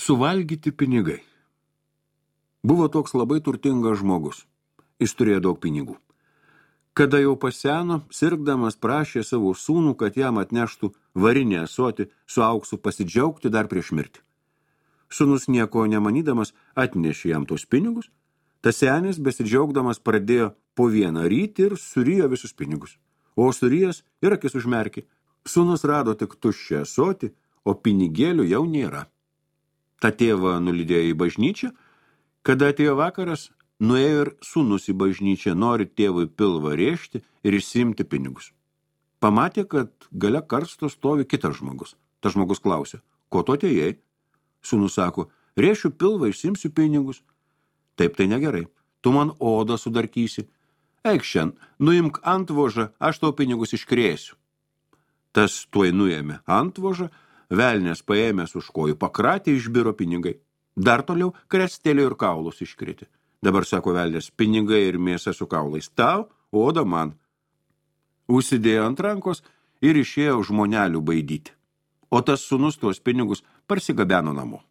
Suvalgyti pinigai. Buvo toks labai turtingas žmogus. Jis turėjo daug pinigų. Kada jau paseno, sirgdamas prašė savo sūnų, kad jam atneštų varinį ąsotį su auksu pasidžiaugti dar prieš mirtį. Sūnus nieko nemanydamas atnešė jam tos pinigus. Tas senis besidžiaugdamas pradėjo po vieną ryti ir surijo visus pinigus. O surijęs ir akis užmerkė. Sūnus rado tik tuščią ąsotį, o pinigėlių jau nėra. Ta tėvą nulydėjo į bažnyčią. Kada atėjo vakaras, nuėjo ir sūnus į bažnyčią, nori tėvui pilvą rėžti ir išsiimti pinigus. Pamatė, kad gale karsto stovi kitas žmogus. Tas žmogus klausė, ko tu atėjai? Sūnus sako, rėšiu pilvą, išsiimsiu pinigus. Taip tai negerai, tu man odą sudarkysi. Eik šiandien, nuimk antvožą, aš tau pinigus iškrėsiu. Tas tuoj nuėmė antvožą, velnės paėmęs už kojų pakratė, išbiro pinigai. Dar toliau krestelė ir kaulus iškriti. Dabar, sako velnės, pinigai ir mėsa su kaulais tau, oda man. Užsidėjo ant rankos ir išėjo žmonelių baidyti. O tas sūnus tuos pinigus parsigabeno namo.